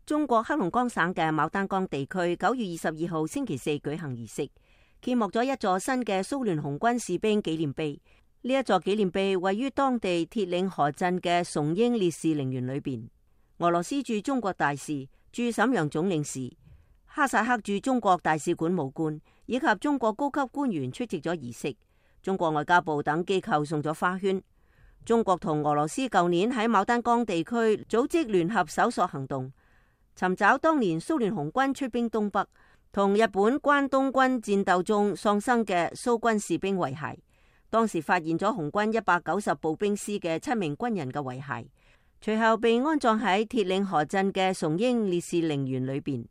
中國黑龍江省嘅牡丹江地區9月22號星期四舉行儀式，揭幕咗一座新嘅蘇聯紅軍士兵紀念碑。呢一座紀念碑位於當地鐵嶺河鎮嘅崇英烈士陵園裏邊。俄羅斯駐中國大使、駐瀋陽總領事、哈薩克駐中國大使館武官以及中國高級官員出席咗儀式。中國外交部等機構送咗花圈。中國同俄羅斯舊年喺牡丹江地區組織聯合搜索行動，尋找當年蘇聯紅軍出兵東北同日本關東軍戰鬥中喪生嘅蘇軍士兵遺骸。當時發現咗紅軍190步兵師嘅7名軍人嘅遺骸，隨後被安葬喺鐵嶺河鎮嘅崇英烈士陵園裏邊，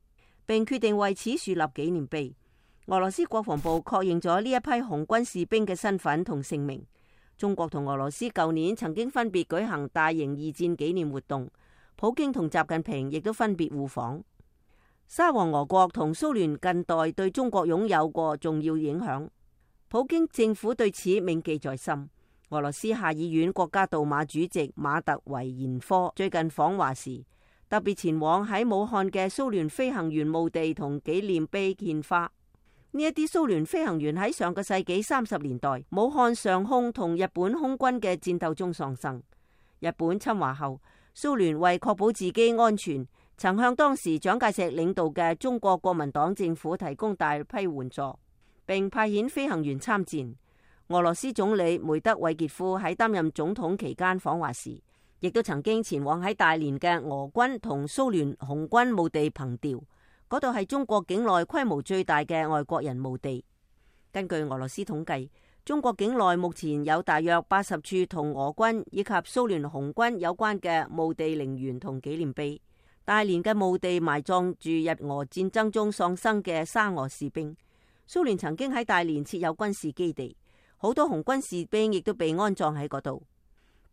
並決定為此樹立紀念碑。俄羅斯國防部確認咗呢一批紅軍士兵嘅身份同姓名。中國同俄羅斯舊年曾經分別舉行大型二戰紀念活動，普京同習近平亦都分別互訪。沙皇俄國同蘇聯近代對中國擁有過重要影響，普京政府對此銘記在心。俄羅斯下議院國家杜馬主席馬特維延科最近訪華時，特別前往喺武漢嘅蘇聯飛行員墓地同紀念碑獻花。呢一啲蘇聯飛行員喺上個世紀30年代武漢上空同日本空軍嘅戰鬥中喪生。日本侵華後，蘇聯為確保自己安全，曾向當時蔣介石領導嘅中國國民黨政府提供大批援助，並派遣飛行員參戰。俄羅斯總理梅德韋傑夫喺擔任總統期間訪華時，亦都曾經前往喺大連嘅俄軍同蘇聯紅軍墓地憑弔。嗰度係中國境內規模最大嘅外國人墓地。根據俄羅斯統計，中國境內目前有大約80處同俄軍以及蘇聯紅軍有關嘅墓地陵園同紀念碑。大連嘅墓地埋葬住日俄戰爭中喪生嘅沙俄士兵。蘇聯曾經喺大連設有軍事基地，好多紅軍士兵亦都被安葬喺嗰度。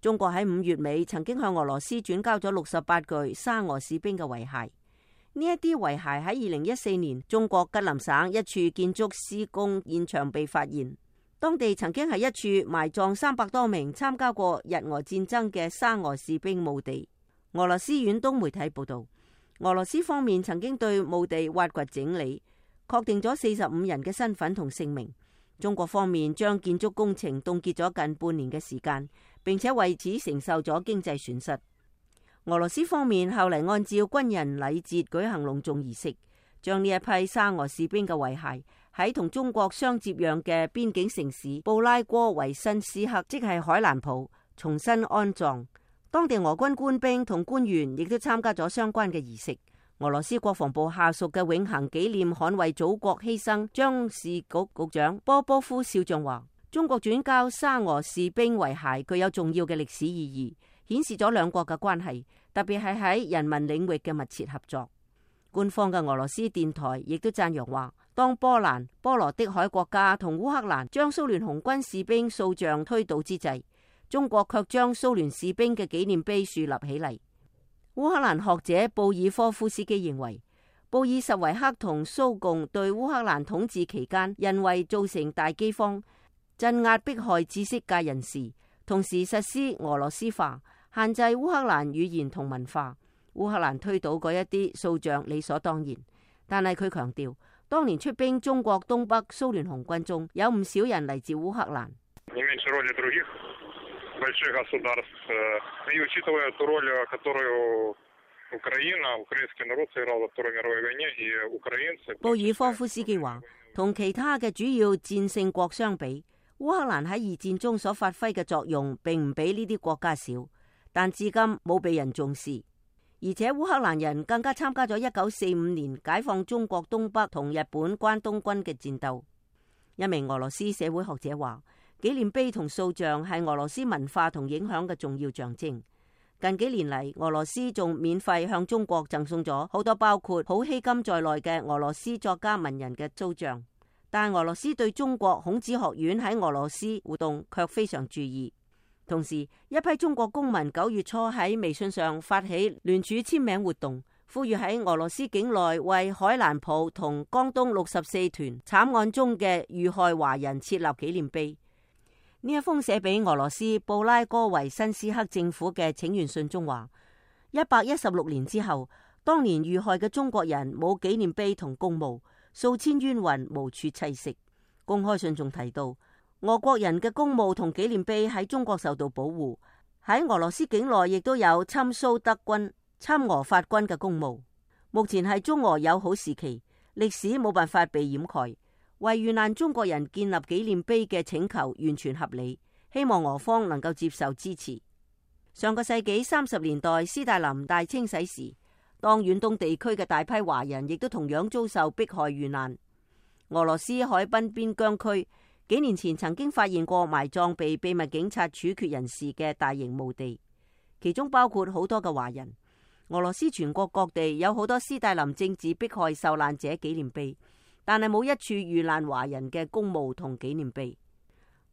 中國喺5月尾曾經向俄羅斯轉交咗68具沙俄士兵嘅遺骸。呢一啲遺骸喺2014年中國吉林省一處建築施工現場被發現，當地曾經係一處埋葬300多名參加過日俄戰爭嘅沙俄士兵墓地。俄羅斯遠東媒體報道，俄羅斯方面曾經對墓地挖掘整理，確定咗45人嘅身份同姓名。中國方面將建築工程凍結咗近半年嘅時間，並且為此承受咗經濟損失。俄羅斯方面後嚟按照軍人禮節舉行隆重儀式，將呢一批沙俄士兵嘅遺骸喺同中國相接壤嘅邊境城市布拉戈維申斯克，即係海蘭普，重新安葬。當地俄軍官兵同官員亦都參加咗相關嘅儀式。俄羅斯國防部下屬嘅永恆紀念捍衛祖國犧牲將士局局長波波夫少將話，中國轉交沙俄士兵遺骸具有重要嘅歷史意義，顯示咗兩國嘅關係，特別係喺人民領域嘅密切合作。官方嘅俄羅斯電台亦都讚揚話，當波蘭、波羅的海國家同烏克蘭將蘇聯紅軍士兵塑像推倒之際，中國卻將蘇聯士兵嘅紀念碑樹立起嚟。烏克蘭學者布爾科夫斯基認為，布爾什維克同蘇共對烏克蘭統治期間人為造成大饑荒，鎮壓迫害知識界人士，同時實施俄羅斯化，限制烏克蘭語言同文化。烏克蘭推倒嗰一啲塑像理所當然，但係佢強調，當年出兵中國東北蘇聯紅軍中有唔少人嚟自烏克蘭。布爾科夫斯基話，同其他嘅主要戰勝國相比，烏克蘭喺二戰中所發揮嘅作用並唔比呢啲國家少，但至今冇被人重視。而且烏克蘭人更加參加咗1945年解放中國東北同日本關東軍嘅戰鬥。一名俄羅斯社會學者話，紀念碑同塑像係俄羅斯文化同影響嘅重要象徵。近幾年嚟，俄羅斯仲免費向中國贈送咗好多包括普希金在內嘅俄羅斯作家文人嘅塑像，但俄羅斯對中國孔子學院喺俄羅斯活動卻非常注意。同時，一批中國公民9月初喺微信上發起聯署簽名活動，呼籲喺俄羅斯境內為海蘭普同江東64團慘案中嘅遇害華人設立紀念碑。呢一封寫俾俄羅斯布拉戈維申斯克政府嘅請願信中話，116年之後，當年遇害嘅中國人冇紀念碑同公墓，數千冤魂無處棲息。公開信仲提到，俄國人嘅公墓同紀念碑喺中國受到保護，喺俄羅斯境內亦都有親蘇德軍、親俄法軍嘅公墓。目前係中俄友好時期，歷史冇辦法被掩蓋，為遇難中國人建立紀念碑嘅請求完全合理，希望俄方能夠接受支持。上個世紀30年代斯大林大清洗時，當遠東地區嘅大批華人亦都同樣遭受迫害遇難。俄羅斯海濱邊疆區幾年前曾經發現過埋葬被秘密警察處決人士嘅大型墓地，其中包括好多嘅華人。俄羅斯全國各地有好多斯大林政治迫害受難者紀念碑，但係冇一處遇難華人嘅公墓同紀念碑。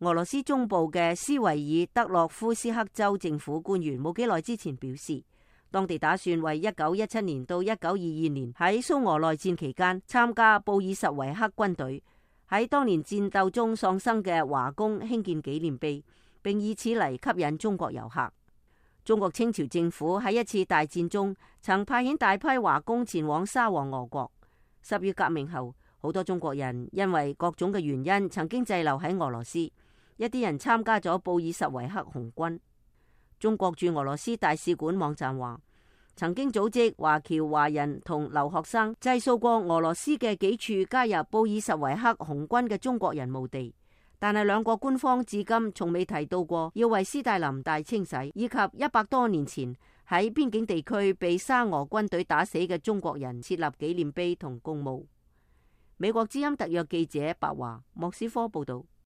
俄羅斯中部嘅斯維爾德洛夫斯克州政府官員冇幾耐之前表示，當地打算為1917年到1922年喺蘇俄內戰期間參加布爾什維克軍隊喺當年戰鬥中喪生嘅華工興建紀念碑，並以此嚟吸引中國遊客。中國清朝政府喺一次大戰中曾派遣大批華工前往沙皇俄國。10月革命後，好多中國人因為各種嘅原因曾經滯留喺俄羅斯，一啲人參加咗布爾什維克紅軍。中國駐俄羅斯大使館網站話，曾經組織華僑華人同留學生祭掃過俄羅斯嘅幾處加入布爾什維克紅軍嘅中國人墓地，但係兩國官方至今從未提到過要為斯大林大清洗以及100多年前喺邊境地區被沙俄軍隊打死嘅中國人設立紀念碑同公墓。美國之音特約記者白華莫斯科報道。